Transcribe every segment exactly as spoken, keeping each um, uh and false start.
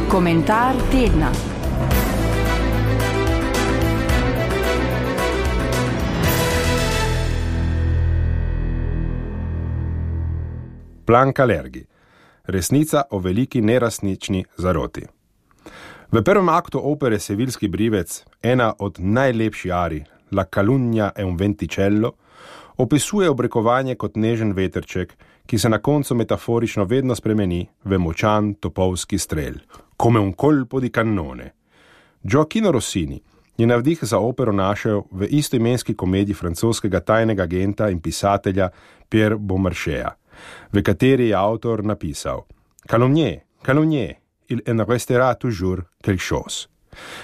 Komentar tedna. Plan Kalergi. Resnica o veliki neresnični zaroti. V prvem aktu opere Sevilski brivec, ena od najlepših arij, La calunnia è un venticello, opisuje obrekovanje kot nežen veterček, ki se na koncu metaforično vedno spremeni v močan topovski strel, come un colpo di cannone. Gioacchino Rossini je navdih za opero našel v istoimenski komediji francoskega tajnega agenta in pisatelja Pierre Beaumarchais, v kateri je avtor napisal Calomnier, calomnier, il en restera toujours quelque chose,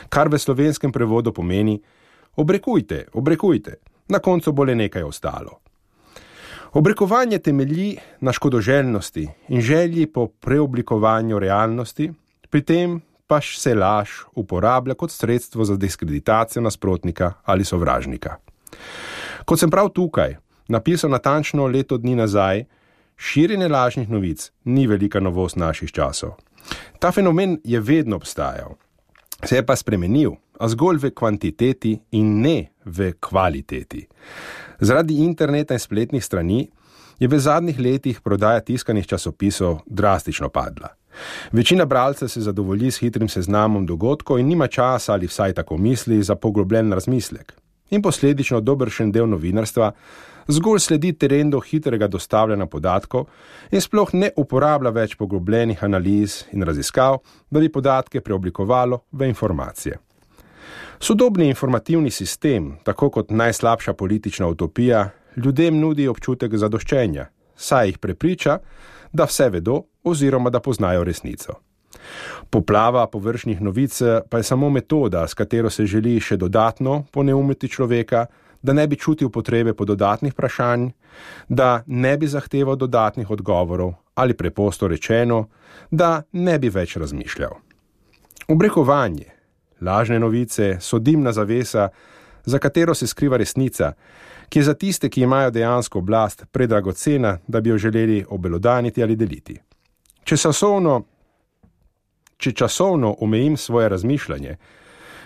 kar v slovenskem prevodu pomeni obrekujte, obrekujte, na koncu bo le nekaj ostalo. Obrekovanje temelji na škodoželjnosti in želji po preoblikovanju realnosti, pri tem pa se laž uporablja kot sredstvo za diskreditacijo nasprotnika ali sovražnika. Kot sem prav tukaj napisal natančno leto dni nazaj, širjenje lažnih novic ni velika novost naših časov. Ta fenomen je vedno obstajal, se je pa spremenil, a zgolj v kvantiteti in ne v kvaliteti. Zaradi interneta in spletnih strani je v zadnjih letih prodaja tiskanih časopisov drastično padla. Večina bralcev se zadovolji s hitrim seznamom dogodkov in nima časa ali vsaj tako misli za poglobljen razmislek. In posledično dobršen del novinarstva zgolj sledi trendu hitrega dostavljanja podatkov in sploh ne uporablja več poglobljenih analiz in raziskav, da bi podatke preoblikovalo v informacije. Sodobni informativni sistem, tako kot najslabša politična utopija, ljudem nudi občutek zadoščenja, saj jih prepriča, da vse vedo oziroma da poznajo resnico. Poplava površnih novic pa je samo metoda, s katero se želi še dodatno poneumiti človeka, da ne bi čutil potrebe po dodatnih vprašanj, da ne bi zahteval dodatnih odgovorov ali preprosto rečeno, da ne bi več razmišljal. Obrekovanje, lažne novice so dimna zavesa, za katero se skriva resnica, ki je za tiste, ki imajo dejansko oblast, predragocena, da bi jo želeli obelodaniti ali deliti. Če časovno, če časovno omejim svoje razmišljanje,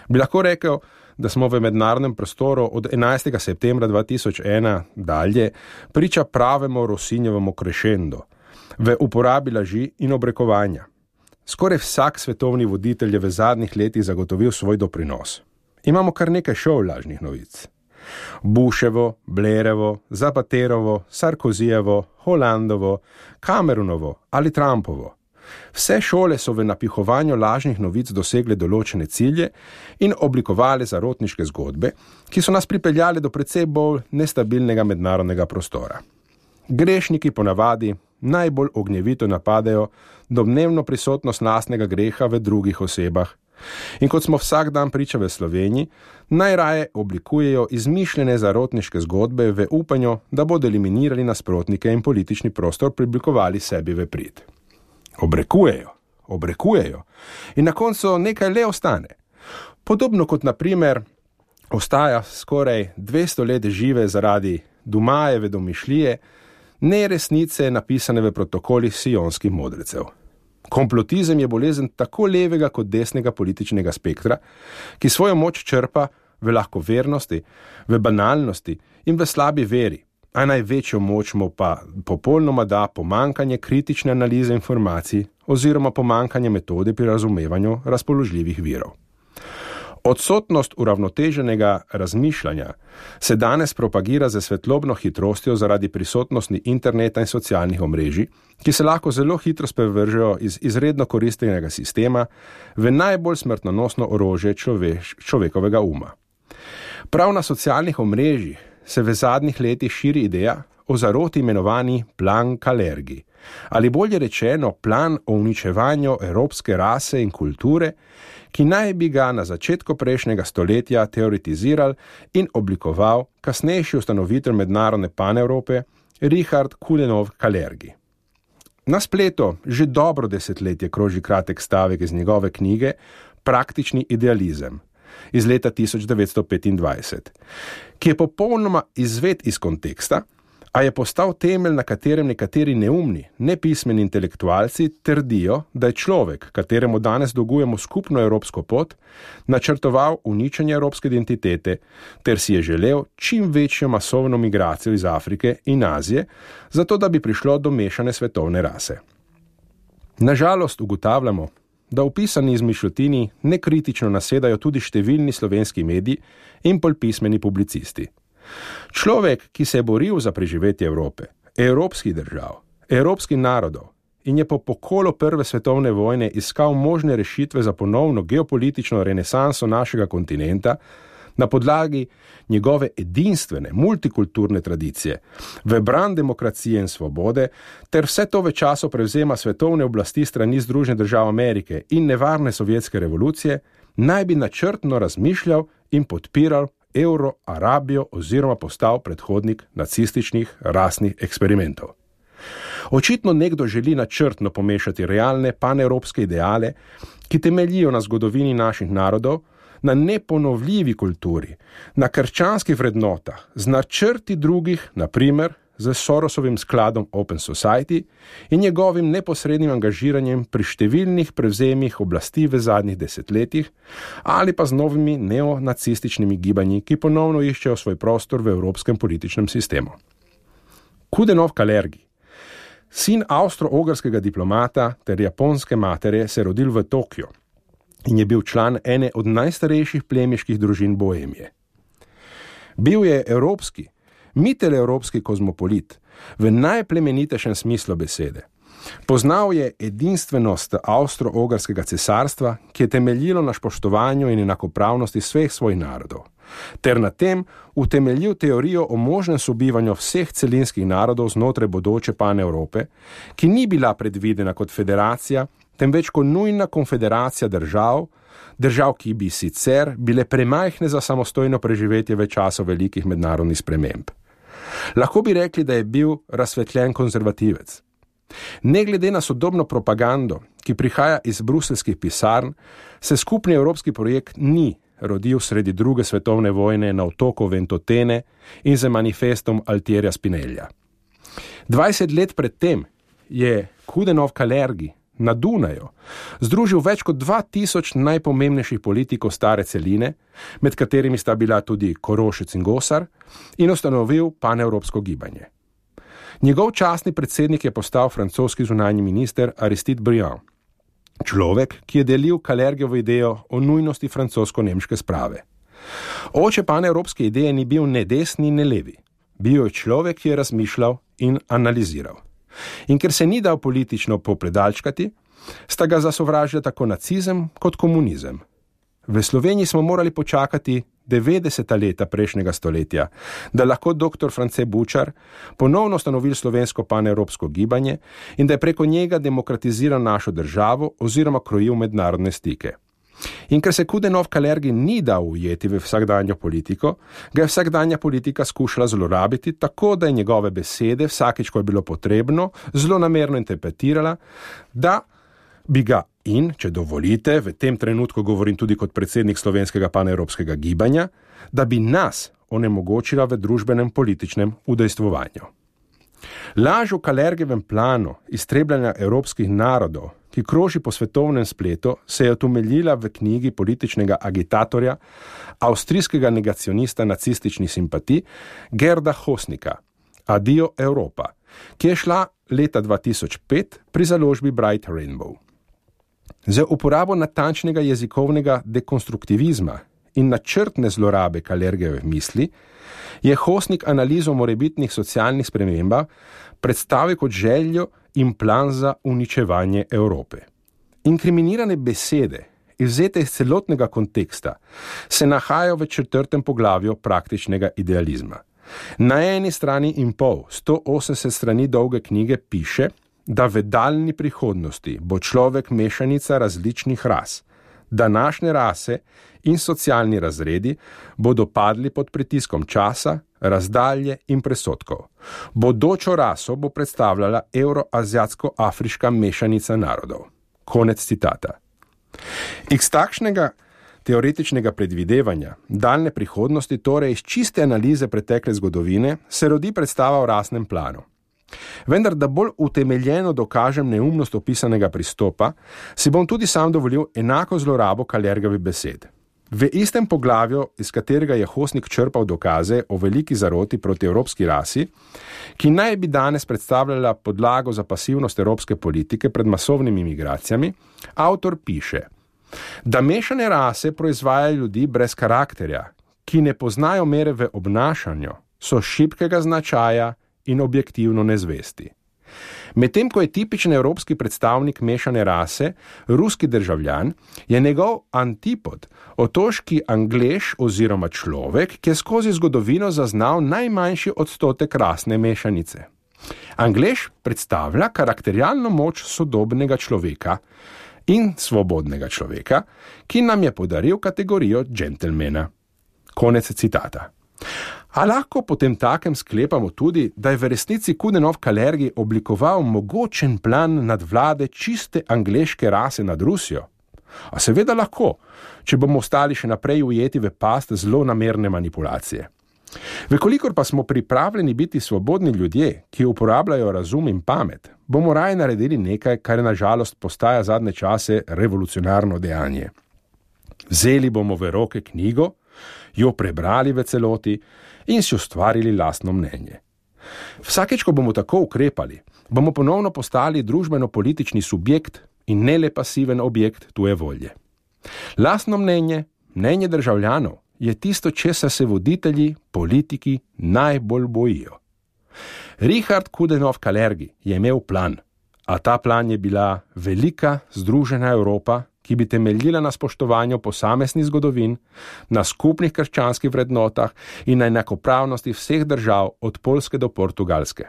bi lahko rekel, da smo v mednarodnem prostoru od enajstega septembra dva tisoč ena dalje priča pravemu Rossinjevemu crescendo v uporabi laži in obrekovanja. Skoraj vsak svetovni voditelj je v zadnjih letih zagotovil svoj doprinos. Imamo kar nekaj šov lažnih novic. Bushevo, Blairovo, Zapaterovo, Sarkozijevo, Hollandovo, Cameronovo ali Trumpovo. Vse šole so v napihovanju lažnih novic dosegle določene cilje in oblikovale zarotniške zgodbe, ki so nas pripeljale do precej bolj nestabilnega mednarodnega prostora. Grešniki ponavadi najbolj ognjevito napadajo domnevno prisotnost lastnega greha v drugih osebah in kot smo vsak dan priča v Sloveniji, najraje oblikujejo izmišljene zarotniške zgodbe v upanju, da bodo eliminirali nasprotnike in politični prostor priblikovali sebi v prid. Obrekujejo, obrekujejo in na koncu nekaj le ostane. Podobno kot na primer ostaja skoraj dvesto let žive zaradi Dumajeve domišljije neresnice napisane v protokolih sionskih modrecev. Komplotizem je bolezen tako levega kot desnega političnega spektra, ki svojo moč črpa v lahkovernosti, v banalnosti in v slabi veri, a največjo moč mu pa popolnoma da pomankanje kritične analize informacij oziroma pomankanje metode pri razumevanju razpoložljivih virov. Odsotnost uravnoteženega razmišljanja se danes propagira z svetlobno hitrostjo zaradi prisotnosti interneta in socialnih omrežij, ki se lahko zelo hitro sprevržejo iz izredno koristnega sistema v najbolj smrtonosno orožje človeš, človekovega uma. Prav na socialnih omrežjih se v zadnjih letih širi ideja o zaroti imenovani plan Kalergi, ali bolje rečeno plan o uničevanju evropske rase in kulture, ki naj bi ga na začetku prejšnjega stoletja teoretiziral in oblikoval kasnejši ustanovitelj mednarodne Panevrope Richard Coudenhove Kalergi. Na spletu že dobro desetletje kroži kratek stavek iz njegove knjige Praktični idealizem iz leta tisoč devetsto petindvajset, ki je popolnoma izvet iz konteksta, A je postal temelj, na katerem nekateri neumni, nepismeni intelektualci trdijo, da je človek, kateremu danes dolgujemo skupno evropsko pot, načrtoval uničenje evropske identitete ter si je želel čim večjo masovno migracijo iz Afrike in Azije, zato da bi prišlo do mešane svetovne rase. Nažalost ugotavljamo, da opisani izmišljotini nekritično nasedajo tudi številni slovenski mediji in polpismeni publicisti. Človek, ki se je boril za preživetje Evrope, evropskih držav, evropskih narodov in je po pokolu prve svetovne vojne iskal možne rešitve za ponovno geopolitično renesanso našega kontinenta na podlagi njegove edinstvene, multikulturne tradicije, v bran demokracije in svobode, ter vse to v času prevzema svetovne oblasti strani Združenih držav Amerike in nevarne sovjetske revolucije, naj bi načrtno razmišljal in podpiral Euro-Arabijo oziroma postal predhodnik nacističnih rasnih eksperimentov. Očitno nekdo želi načrtno pomešati realne panevropske ideale, ki temeljijo na zgodovini naših narodov, na neponovljivi kulturi, na krščanskih vrednotah, z načrti drugih, na primer z Sorosovim skladom Open Society in njegovim neposrednim angažiranjem pri številnih prevzemih oblasti v zadnjih desetletjih ali pa z novimi neonacističnimi gibanji, ki ponovno iščejo svoj prostor v evropskem političnem sistemu. Kudenov Kalergi, sin avstro-ogrskega diplomata ter japonske matere, se je rodil v Tokiju in je bil član ene od najstarejših plemiških družin Boemije. Bil je evropski, mittelevropski kozmopolit v najplemenitejšem smislu besede. Poznal je edinstvenost avstro-ogrskega cesarstva, ki je temeljilo na spoštovanju in enakopravnosti vseh svojih narodov, ter na tem utemeljil teorijo o možnem sobivanju vseh celinskih narodov znotraj bodoče Panevrope, ki ni bila predvidena kot federacija, temveč kot nujna konfederacija držav, držav, ki bi sicer bile premajhne za samostojno preživetje v času velikih mednarodnih sprememb. Lahko bi rekli, da je bil razsvetljen konzervativec. Ne glede na sodobno propagando, ki prihaja iz bruseljskih pisarn, se skupni evropski projekt ni rodil sredi druge svetovne vojne na otoku Ventotene in z manifestom Altierja Spinellija. dvajset let pred tem je Kudenov Kalergi na Dunaju združil več kot dva tisoč najpomembnejših politikov stare celine, med katerimi sta bila tudi Korošec in Gosar, in ustanovil panevropsko gibanje. Njegov častni predsednik je postal francoski zunanji minister Aristide Briand, človek, ki je delil Kalergijevo idejo o nujnosti francosko-nemške sprave. Oče panevropske ideje ni bil ne desni, ne levi. Bil je človek, ki je razmišljal in analiziral. In ker se ni dal politično popredalčkati, sta ga zasovražila tako nacizem kot komunizem. V Sloveniji smo morali počakati devetdeseta leta prejšnjega stoletja, da lahko doktor France Bučar ponovno ustanovil slovensko panevropsko gibanje in da je preko njega demokratiziral našo državo oziroma krojil mednarodne stike. In ker se Kudenov Kalergi ni dal ujeti v vsakdanjo politiko, ga je vsakdanja politika skušala zlorabiti tako, da je njegove besede vsakič, ko je bilo potrebno, zlonamerno interpretirala, da bi ga in, če dovolite, v tem trenutku govorim tudi kot predsednik slovenskega panevropskega gibanja, da bi nas onemogočila v družbenem političnem udejstvovanju. Laž o Kalergijevem planu iztrebljanja evropskih narodov, ki kroži po svetovnem spletu, se je utemeljila v knjigi političnega agitatorja, avstrijskega negacionista nacističnih simpatij Gerda Hosnika, Adio Europa, ki je šla leta dva tisoč pet pri založbi Bright Rainbow. Z uporabo natančnega jezikovnega dekonstruktivizma in načrtne zlorabe Kalergijeve misli je Hosnik analizo morebitnih socialnih spremembah predstavil kot željo in plan za uničevanje Evrope. Inkriminirane besede, izvzete iz celotnega konteksta, se nahajajo v četrtem poglavju praktičnega idealizma. Na eni strani in pol, sto osemdeset strani dolge knjige piše, da v daljni prihodnosti bo človek mešanica različnih ras, današnje rase in socialni razredi bodo padli pod pritiskom časa, razdalje in presotkov. Bodočo raso bo predstavljala evroazijatsko-afriška mešanica narodov. Konec citata. Iz takšnega teoretičnega predvidevanja, daljne prihodnosti, torej iz čiste analize pretekle zgodovine, se rodi predstava o rasnem planu. Vendar, da bolj utemeljeno dokažem neumnost opisanega pristopa, si bom tudi sam dovolil enako zlorabo Kalergovih besed. V istem poglavju, iz katerega je Hosnik črpal dokaze o veliki zaroti proti evropski rasi, ki naj bi danes predstavljala podlago za pasivnost evropske politike pred masovnimi migracijami, avtor piše, da mešane rase proizvajajo ljudi brez karakterja, ki ne poznajo mere v obnašanju, so šibkega značaja in objektivno nezvesti. Medtem ko je tipičen evropski predstavnik mešane rase, ruski državljan, je njegov antipod, otoški Anglež oziroma človek, ki je skozi zgodovino zaznal najmanjši odstotek rasne mešanice. Anglež predstavlja karakterialno moč sodobnega človeka in svobodnega človeka, ki nam je podaril kategorijo džentelmena. Konec citata. A lahko potem takem sklepamo tudi, da je v resnici Coudenhove Kalergi oblikoval mogočen plan nadvlade čiste angleške rase nad Rusijo? A seveda lahko, če bomo ostali še naprej ujeti v past zlonamerne manipulacije. Vekolikor pa smo pripravljeni biti svobodni ljudje, ki uporabljajo razum in pamet, bomo raje naredili nekaj, kar je na žalost postaja zadnje čase revolucionarno dejanje. Vzeli bomo v roke knjigo, jo prebrali v celoti in si ustvarili lastno mnenje. Vsakeč, ko bomo tako ukrepali, bomo ponovno postali družbeno-politični subjekt in ne le pasiven objekt tuje volje. Lastno mnenje, mnenje državljanov, je tisto, česa se voditelji, politiki najbolj bojijo. Richard Coudenhove Kalergi je imel plan, a ta plan je bila velika, združena Evropa, ki bi temeljila na spoštovanju posameznih zgodovin, na skupnih krščanskih vrednotah in na enakopravnosti vseh držav od Poljske do Portugalske.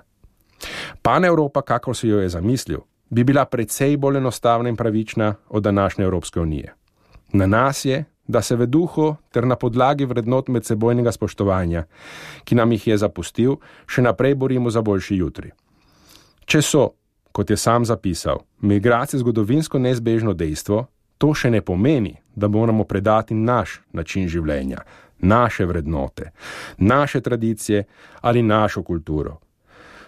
Pan-Evropa, kakor si jo je zamislil, bi bila precej bolj enostavna in pravična od današnje Evropske unije. Na nas je, da se v duhu ter na podlagi vrednot medsebojnega spoštovanja, ki nam jih je zapustil, še naprej borimo za boljši jutri. Če so, kot je sam zapisal, migracije zgodovinsko neizbežno dejstvo, to še ne pomeni, da moramo predati naš način življenja, naše vrednote, naše tradicije ali našo kulturo.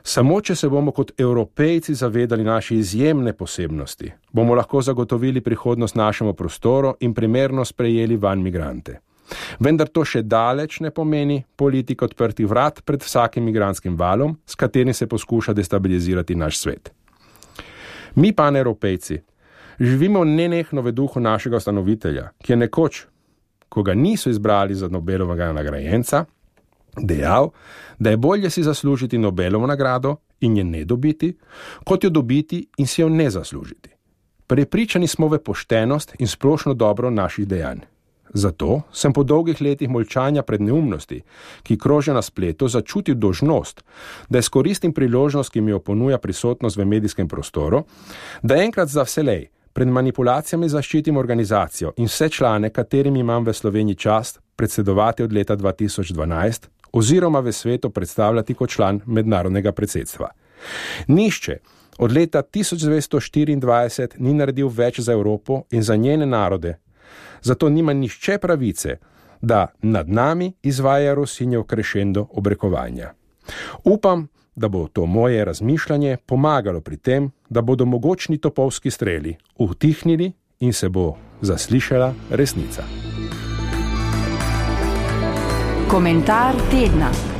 Samo če se bomo kot Evropejci zavedali naše izjemne posebnosti, bomo lahko zagotovili prihodnost našemu prostoru in primerno sprejeli vanj migrante. Vendar to še daleč ne pomeni politika odprtih vrat pred vsakim migrantskim valom, s katerim se poskuša destabilizirati naš svet. Mi, Pan-Evropejci, živimo nenehno v duhu našega ustanovitelja, ki je nekoč, ko ga niso izbrali za Nobelovega nagrajenca, dejal, da je bolje si zaslužiti Nobelovo nagrado in je ne dobiti, kot jo dobiti in si jo ne zaslužiti. Prepričani smo v poštenost in splošno dobro naših dejanj. Zato sem po dolgih letih molčanja pred neumnosti, ki krožijo na spletu, začutil dolžnost, da izkoristim priložnost, ki mi jo ponuja prisotnost v medijskem prostoru, da enkrat za vselej pred manipulacijami zaščitim organizacijo in vse člane, katerim imam v Sloveniji čast predsedovati od leta dva tisoč dvanajst oziroma v svetu predstavljati kot član mednarodnega predsedstva. Nišče od leta tisoč devetsto štiriindvajset ni naredil več za Evropo in za njene narode, zato nima nišče pravice, da nad nami izvaja Rosinjev krešendo obrekovanja. Upam, da bo to moje razmišljanje pomagalo pri tem, da bodo mogočni topovski streli utihnili in se bo zaslišala resnica. Komentar tedna.